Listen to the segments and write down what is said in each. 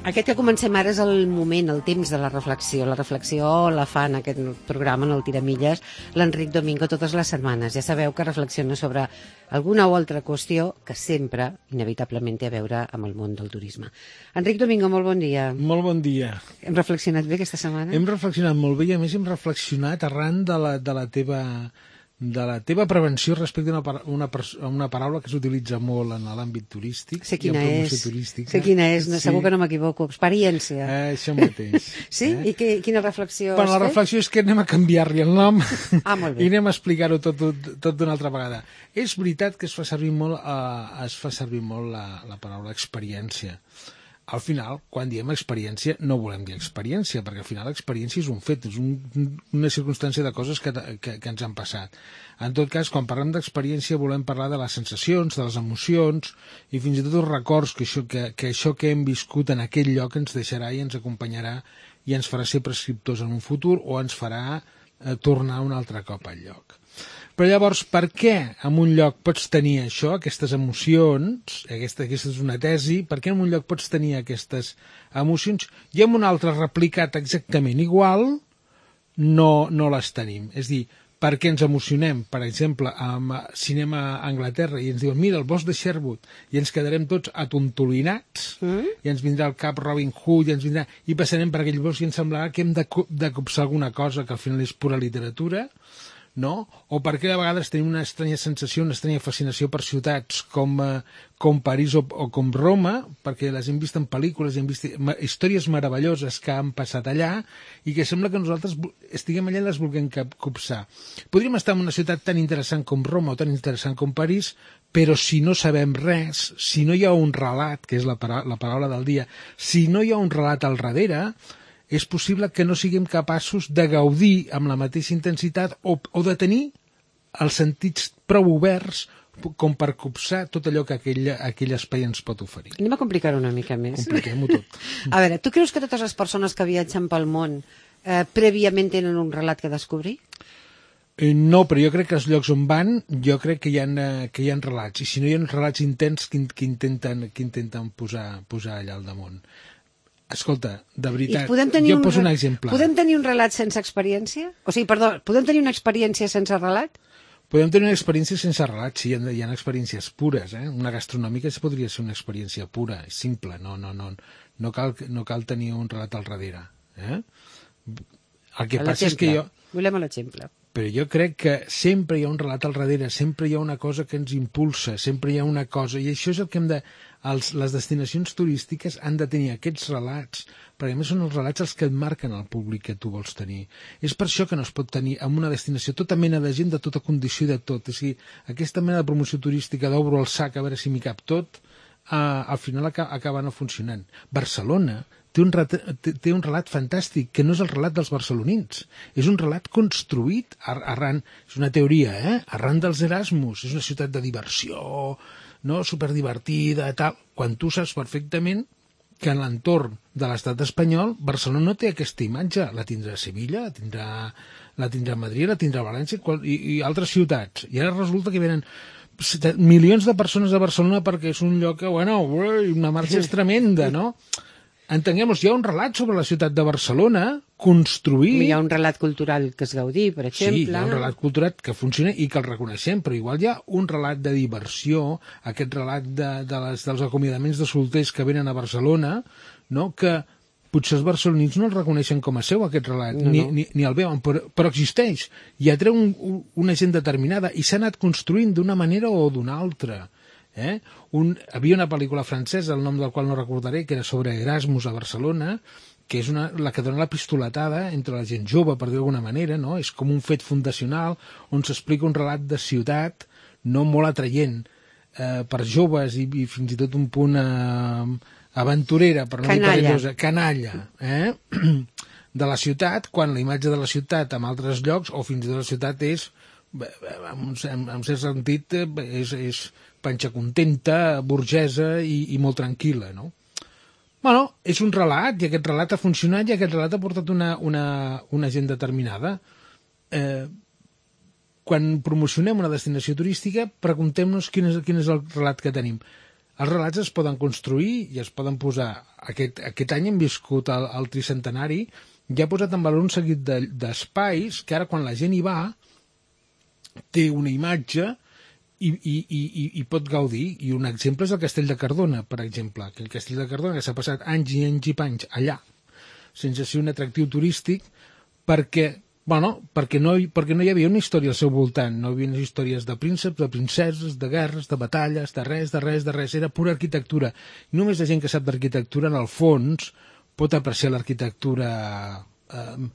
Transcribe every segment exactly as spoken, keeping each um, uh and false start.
Aquest que comencem ara és el moment, el temps de la reflexió. La reflexió la fa en aquest programa, en el Tiramilles, l'Enric Domingo totes les setmanes. Ja sabeu que reflexiona sobre alguna o altra qüestió que sempre, inevitablement, té a veure amb el món del turisme. Enric Domingo, molt bon dia. Molt bon dia. Hem reflexionat bé aquesta setmana? Hem reflexionat molt bé i a més hem reflexionat arran de la, de la teva... de la teva prevenció respecte a una, una, una paraula que s'utilitza molt en l'àmbit turístic. Sé quina és, turística. sé quina és, no, sí. Segur que no m'equivoco. Experiència. Eh, això mateix. Sí? Eh? I que, quina reflexió bueno, has la reflexió és que anem a canviar-li el nom ah, molt bé. i anem a explicar-ho tot, tot, tot d'una altra vegada. És veritat que es fa servir molt, eh, es fa servir molt la, la paraula experiència. Al final, quan diem experiència, no volem dir experiència, perquè al final l'experiència és un fet, és un, una circumstància de coses que, que, que ens han passat. En tot cas, quan parlem d'experiència volem parlar de les sensacions, de les emocions i fins i tot els records que això que, que això que hem viscut en aquell lloc ens deixarà i ens acompanyarà i ens farà ser prescriptors en un futur o ens farà eh, tornar un altre cop al lloc. Però llavors, per què en un lloc pots tenir això, aquestes emocions, aquesta, aquesta és una tesi, per què en un lloc pots tenir aquestes emocions i en un altre replicat exactament igual no, no les tenim? És a dir, per què ens emocionem, per exemple, amb cinema a Anglaterra i ens diuen, mira, el bosc de Sherwood, i ens quedarem tots atontolinats, mm? i ens vindrà al cap Robin Hood, i ens vindrà, i passarem per aquell bosc i ens semblarà que hem de, de copsar alguna cosa que al final és pura literatura, no? O perquè a vegades tenim una estranya sensació, una estranya fascinació per ciutats com, eh, com París o, o com Roma, perquè les hem vist en pel·lícules, hem vist històries meravelloses que han passat allà i que sembla que nosaltres estiguem allà i les vulguem copsar. Podríem estar en una ciutat tan interessant com Roma o tan interessant com París, però si no sabem res, si no hi ha un relat, que és la, para la paraula del dia, si no hi ha un relat al darrere, és possible que no siguem capaços de gaudir amb la mateixa intensitat o, o de tenir els sentits prou oberts com per copsar tot allò que aquell, aquell espai ens pot oferir. Anem a complicar-ho una mica més. Compliquem-ho tot. A veure, tu creus que totes les persones que viatgen pel món eh, prèviament tenen un relat que descobrir? Eh, no, però jo crec que els llocs on van, jo crec que hi ha, eh, que hi ha relats, i si no hi ha relats intents que, que, intenten, que intenten posar, posar allà al damunt. Escolta, de veritat, jo un poso un exemple. Podem tenir un relat sense experiència? O sigui, perdó, podem tenir una experiència sense relat? Podem tenir una experiència sense relat, sí, hi ha, hi ha experiències pures, eh? Una gastronòmica podria ser una experiència pura, simple, no, no, no, no, cal, no cal tenir un relat al darrere. Eh? El que passa és que jo... Volem l'exemple. Però jo crec que sempre hi ha un relat al darrere, sempre hi ha una cosa que ens impulsa, sempre hi ha una cosa, i això és el que hem de... Els, les destinacions turístiques han de tenir aquests relats, perquè a més són els relats els que et marquen el públic que tu vols tenir. És per això que no es pot tenir en una destinació tota mena de gent de tota condició i de tot. És a dir, aquesta mena de promoció turística d'obro el sac a veure si m'hi cap tot, eh, al final acaba, acaba no funcionant. Barcelona té un, ret, té, té un relat fantàstic, que no és el relat dels barcelonins. És un relat construït arran, és una teoria, eh? Arran dels Erasmus. És una ciutat de diversió, no? Superdivertida, tal. Quan tu saps perfectament que en l'entorn de l'estat espanyol Barcelona no té aquesta imatge. La tindrà a Sevilla, la tindrà, la tindrà a Madrid, la tindrà a València i, i altres ciutats. I ara resulta que venen milions de persones a Barcelona perquè és un lloc que, bueno, una marxa és tremenda, no? Entenguem-ho, hi ha un relat sobre la ciutat de Barcelona construït... Hi ha un relat cultural que es gaudí, per exemple... Sí, hi ha un relat cultural que funciona i que el reconeixem, però igual hi ha un relat de diversió, aquest relat de, de les, dels acomiadaments de solters que venen a Barcelona, no? Que potser els barcelonins no el reconeixen com a seu, aquest relat, no, ni, no. Ni, ni el veuen, però, però existeix, i atreu un, un, una gent determinada, i s'ha anat construint d'una manera o d'una altra. Eh? Un, havia una pel·lícula francesa, el nom del qual no recordaré, que era sobre Erasmus a Barcelona, que és una, la que dona la pistoletada entre la gent jove, per dir d'alguna manera, no? És com un fet fundacional on s'explica un relat de ciutat no molt atraient eh, per joves i, i fins i tot un punt eh, aventurera, per no dir perillosa, canalla, eh? De la ciutat, quan la imatge de la ciutat en altres llocs, o fins i tot la ciutat és, en, en, en cert sentit, és, és panxa contenta, burgesa i, i molt tranquil·la, no? Bueno, és un relat, i aquest relat ha funcionat i aquest relat ha portat una, una, una gent determinada. Eh, quan promocionem una destinació turística, preguntem-nos quin és, quin és el relat que tenim. Els relats es poden construir i es poden posar... Aquest, aquest any hem viscut el, el tricentenari i ha posat en valor un seguit d'espais de, que ara quan la gent hi va té una imatge i, i, i, i pot gaudir. I un exemple és el Castell de Cardona, per exemple, que el Castell de Cardona que s'ha passat anys i anys i panys allà sense ser un atractiu turístic perquè... Bueno, perquè no, perquè no hi havia una història al seu voltant, no hi havia unes històries de prínceps, de princeses, de guerres, de batalles, de res, de res, de res, era pura arquitectura. I només la gent que sap d'arquitectura, en el fons, pot apreciar l'arquitectura eh,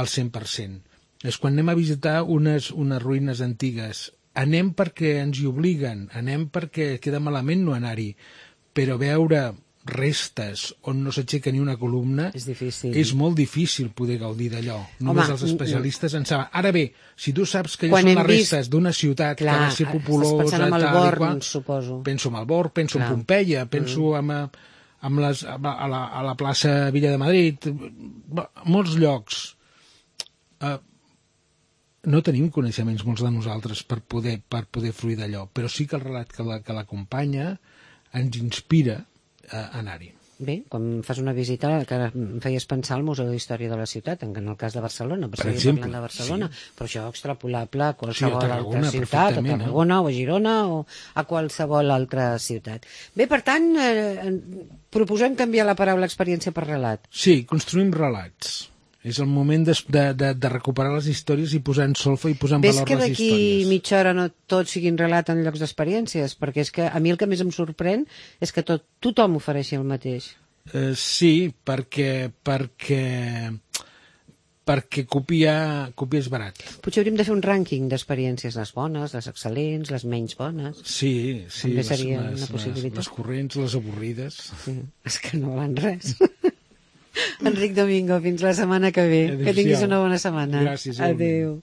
al cent per cent. És quan anem a visitar unes, unes ruïnes antigues. Anem perquè ens hi obliguen, anem perquè queda malament no anar-hi, però veure restes on no s'aixeca ni una columna és difícil. És molt difícil poder gaudir d'allò. Només Home, els especialistes en saben. Ara bé, si tu saps que allò són les restes vist... d'una ciutat clar, que va ser populosa, tal i qual, suposo. Penso en el Born, penso clar. en Pompeia, penso mm. en, en les, a, la, a la plaça Villa de Madrid, molts llocs. Uh, no tenim coneixements molts de nosaltres per poder, per poder fruir d'allò, però sí que el relat que l'acompanya ens inspira a anar-hi. Bé, quan fas una visita que em feies pensar al Museu d'Història de la Ciutat, en el cas de Barcelona, per, per exemple, de Barcelona, sí. Però això extrapolable a qualsevol sí, a Tarragona, altra ciutat, a Tarragona o a Girona o a qualsevol altra ciutat. Bé, per tant, eh, proposem canviar la paraula experiència per relat. Sí, construïm relats. És el moment de, de, de recuperar les històries i posar en solfa i posar en Ves valor les històries. Ves que d'aquí mitja hora no tot siguin relat en llocs d'experiències? Perquè és que a mi el que més em sorprèn és que tot, tothom ofereixi el mateix. Uh, sí, perquè, perquè, perquè copiar, copiar és barat. Potser hauríem de fer un rànquing d'experiències, les bones, les excel·lents, les menys bones. Sí, sí. També les, seria les, una possibilitat. Les, les corrents, les avorrides. Sí, és que no valen res. Enric Domingo, fins la setmana que ve. Adéu-siau. Que tinguis una bona setmana. Gràcies. Adéu.